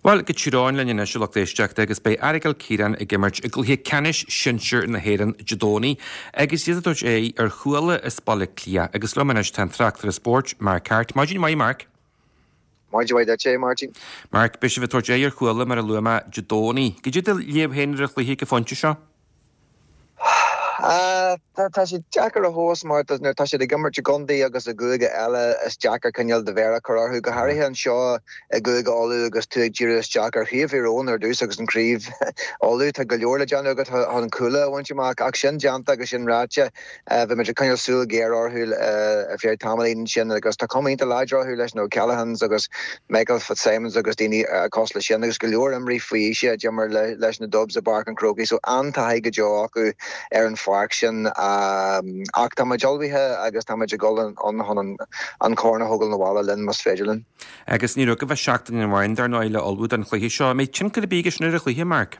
Bhuel, go Tír Eoghain linn anois, a lucht éisteachta, agus beidh Aireagal Ciaráin ag imirt i gcluiche ceannais sinsir na hÉireann Dé Domhnaigh agus iad ag tabhairt aghaidh ar Chuala as Baile Átha Cliath. Agus liom anois tá an tráchtaire spóirt, Mark Harte. Maidin mhaith, Mark. Maidin mhaith duit, a Mháirtín. Mark, beidh sibh ag tabhairt aghaidh ar Chuala, mar a luaigh mé, Dé Domhnaigh. Cad é do léamh féin ar an chluiche ag an phointe seo? Tá sé deacair a thomhas mar nuair atá siad ag imirt i gcontae agus i gcúige eile is deacair cineál do mhéar a chur orthu, go háirithe anseo i gCúige Uladh agus tú ag díriú isteach ar Chraobh Thír Eoghain ar dtús agus an Craobh Uladh. Tá go leor le déanamh agat chun Cuala a bhaint amach ach sin déanta agus sin ráite, Bhí muid ag coinneáil súil ghéar orthu ar feadh tamaillín ansin agus tá cuma iontach láidir orthu leis na O'Callaghans agus Michael Fitzsimons agus daoine cosúil leis sin agus go leor imreoirí faoi aois a d'imir leis na Dubs i bPáirc an Chrócaigh so an-taithí go deo acu ar an pháirc sin. Ach tá muid ullmhaithe agus tá muid ag dul ann chun an corn a thógáil 'na bhaile linn más féidir linn. Agus ní raibh agaibh ach seachtain amháin dar ndóigh le ullmhú don chluiche seo. An mbeidh tionchar ar bith aige sin ar an chluiche, Mark?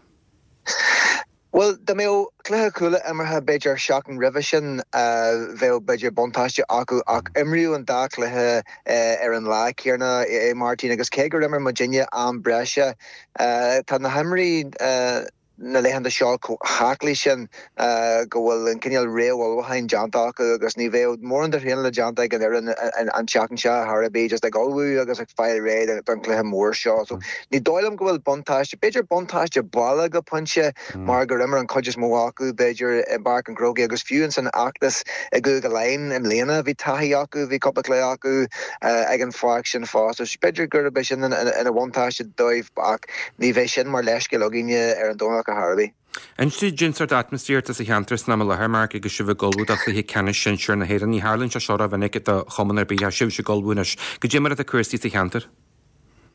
Bhuel, dá mbeadh cluiche Chuala imeartha b'fhéidir seachtain roimhe sin, bheadh b'fhéidir buntáiste acu ach imríodh an dá chluiche ar an lá céanna, a Mháirtín, agus cé gur imir muidinne am breise, tá na himreoirí na laethanta seo chomh haclaí sin go bhfuil an cineál réamhullmhúcháin déanta acu agus ní bheadh mórán de thraenála déanta ag an fhoireann an tseachtain seo ar chor ar bith, just ag ullmhú agus ag fáil réidh don chluiche mór seo. So Ní dóigh liom go bhfuil buntáiste, b'fhéidir buntáiste baile go pointe mar gur imir an chuid is mó acu b'fhéidir i bPáirc an Chrócaigh agus fiú ins an fheachtas i gCúige Laighean i mbliana bhí taithí acu, bhí cúpla cluiche acu ag an pháirc sin fosta. So b'fhéidir gurb é sin ina bhuntáiste dóibh ach ní bheidh sin mar leithscéal againne ar an Domhnach ar chor ar bith. Inis dúinn cén sórt atmaisféar atá sa cheantar san am i láthair, Mark, agus sibh ag ullmhú do chluiche ceannais sinsir na hÉireann. Ní tharlaíonn sé seo rómhinic do chumann ar bith ach sibhse ag ullmhú anois. Cad é mar atá cúrsaí sa cheantar?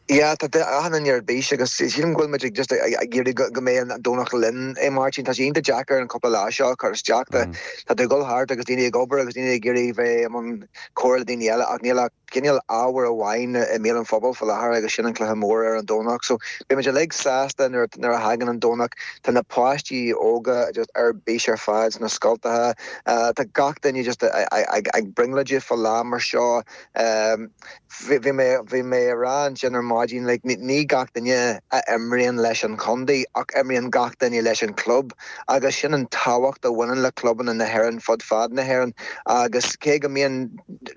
Yeah, tá achan duine ar bís agus sílim go bhfuil muid ag just ag iarraidh go mbeidh an Domhnach linn, a Mháirtín. Tá sé iontach deacair an cúpla lá seo a chur isteach. Tá tú ag dul thart agus daoine ag obair agus daoine ag iarraidh bheith i mbun comhrá le daoine eile ach níl ach cineál ábhar amháin i mbéal an phobail faoi láthair agus sin an cluiche mór ar an Domhnach. So beidh muid uilig sásta nuair nuair a thagann an Domhnach. Tá na páistí óga just ar bís ar fad sna scoltacha. Tá gach duine just ag brionglóidigh fá lá mar seo. Bhí mé, bhí mé a rá ansin ar maidin, like, ní gach duine a imríonn leis an chontae ach imríonn gach duine leis an chlub agus sin an tábhacht a bhaineann le clubanna na hÉireann fud fad na hÉireann agus cé go mbíonn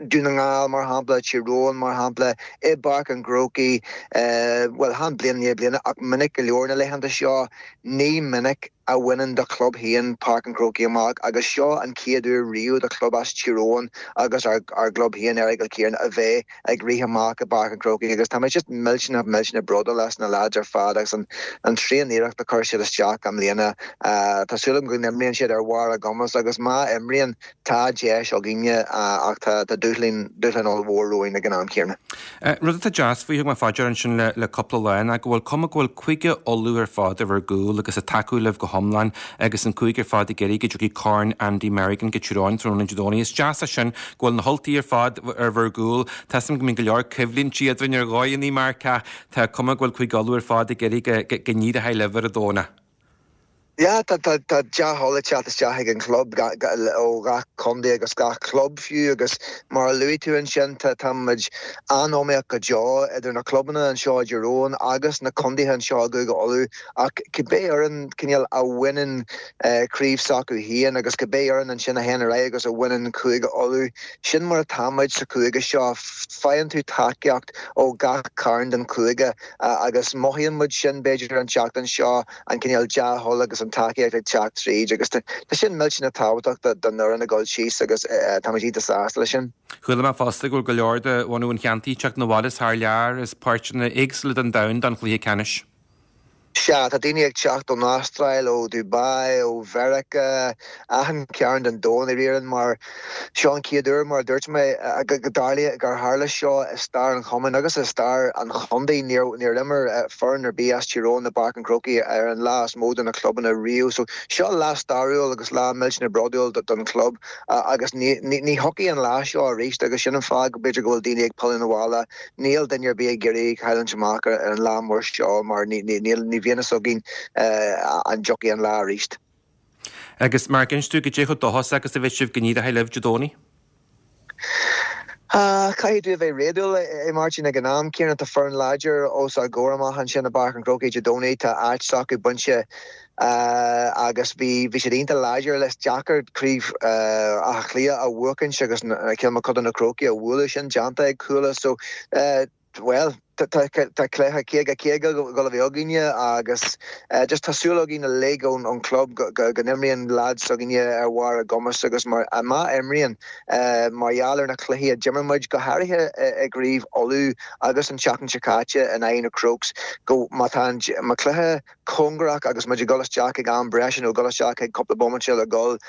Dún na nGall, mar shampla, Tír Eoghain, mar shampla, i bPáirc an Chrócaigh, bhuel, chan bliain i ndiaidh bliana ach minic go leor na laethanta seo, ní minic a bhaineann do chlub féin Páirc an Chrócaigh amach agus seo an chéad uair riamh do chlub as Tír Eoghain agus ár gclub féin, Errigal Ciarán, a bheith ag rith amach i bPáirc an Chrócaigh agus tá muid just millteanach, millteanach bródúil as na leaids ar fad agus an tréan-iarracht a chuir siad isteach i mbliana. Tá súil agam go n-imríonn siad ar bharr a gcumas agus má imríonn, Tá deis againne ach tá dúshlán, dúshlán ollmhór romhainn ag an am céanna. Rud atá deas faoi, thug mé fá dear ansin le cúpla lá ná go bhfuil cuma go bhfuil Cúige Uladh ar fad ar bhur gcúl agus ag tacú libh go hiomlán agus an cúige ar fad ag iarraidh go dtiocfaidh Corn Andy Merrigan go Tír Eoghain tráthnóna Dé Domhnaigh. Is deas é sin go bhfuil na hUltaigh ar fad ar bhur gcúl. Tá 'fhios a'm go mbíonn go leor coimhlíntí eadrainn ar dhóigheanna Mark ach tá cuma go bhfuil Cúige Uladh ar fad ag iarraidh go n-éireoidh libh ar an Domhnach. Yeah, tá dea-thoil ag teacht isteach ag an chlub ó gach contae agus gach club fiú agus mar a luaigh tú ansin tá tá muid an-iomaíoch go deo idir na clubanna anseo i dTír Eoghain agus na contaetha anseo i gCúige Uladh ach cibé fhoireann cineál a bhaineann craobh s'acu féin agus cibé fhoireann ansin a théann ar aghaidh agus a bhaineann Cúige Uladh, sin mar atá muid sa chúige seo, faigheann tú tacaíocht ó gach cearn den chúige agus mothaíonn muid sin b'fhéidir an tseachtain seo. an cineál dea-thoil agus an tacaíocht ag teacht tríd agus tá sin millteanach tábhachtach don fhoireann ag dul síos agus táimid iontach sásta leis sin. Chuala mé fosta go bhfuil go leor de bhunadh an cheantair ag teacht 'na bhaile as thar lear as páirteanna éagsúla den domhan don chluiche ceannais. Sea, tá daoine ag teacht ón Astráil, ó Dubai, ó Mheiriceá, achan cearn den domhan i ndáiríre mar Seo an chéad uair, mar a dúirt mé, go dtarlaíonn, gur tharla seo i stair an chumainn agus i stair an chontae. Níor imir foireann ar bith as Tír Eoghain i bPáirc an Chrócaigh ar an lá is mó do na clubanna riamh. So seo lá stairiúil agus lá millteanach bródúil don chlub agus ní thiocfaidh an lá seo arís agus sin an fáth go b'fhéidir go bhfuil daoine ag pilleadh 'na bhaile. Níl duine ar bith ag iarraidh cailliúint amach ar an lá mór seo mar ní bhíonn fhios againn an dtiocfaidh an lá arís. Agus Mark, inis dúinn goidé chomh dóchasach agus a bheidh sibh go n-éireoidh libh Dé Domhnaigh? Caithfidh tú a bheith réadúil, a Mháirtín, ag an am céanna tá foireann láidir os ár gcomhair amach ansin i bPáirc an Chrócaigh Dé Domhnaigh, tá áit s'acu bainte agus bhí bhí siad iontach láidir. Is deacair craobh Átha Cliath a bhuachaint agus Cill Mochuda na Crócaigh a bhualadh, sin déanta ag Cuala so bhuel tá cluiche 50 50 ag dul a bheith againne agus just tá súil againn uilig ón chlub go n-imríonn lads s'againne ar bharr a gcumas agus mar má imríonn mar gheall ar na cluichí a d'imir muid go háirithe i gcraobh Uladh agus an tseachtain seo caite in aghaidh na Crokes go má tá an cluiche cóngarach agus muid ag dul isteach ag am breise nó ag dul isteach ag cúpla bomaite le dul,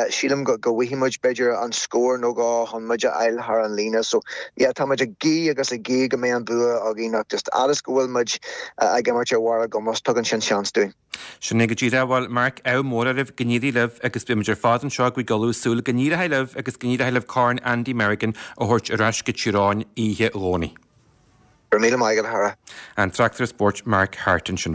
sílim go bhfaighidh muid b'fhéidir an scór nó dhó chun muid a fháil thar an líne. So yeah, tá muid ag guí agus ag guí go mbeidh an bua againn ach just fhad is go bhfuil muid ag imirt ar bharr ár gcumas, tugann sin seans dúinn. Sin é go díreach. Bhuel, Mark, ádh mór oraibh, go n-éirí libh agus beidh muid ar fad anseo ag Cúige Uladh ag súil go n-éireoidh libh agus go n-éireoidh libh Corn Andy Merrigan a thabhairt ar ais go Tír Eoghain oíche Dhomhnaigh. Go raibh míle maith agat, a chara. An tráchtaire spóirt Mark Harte ansin.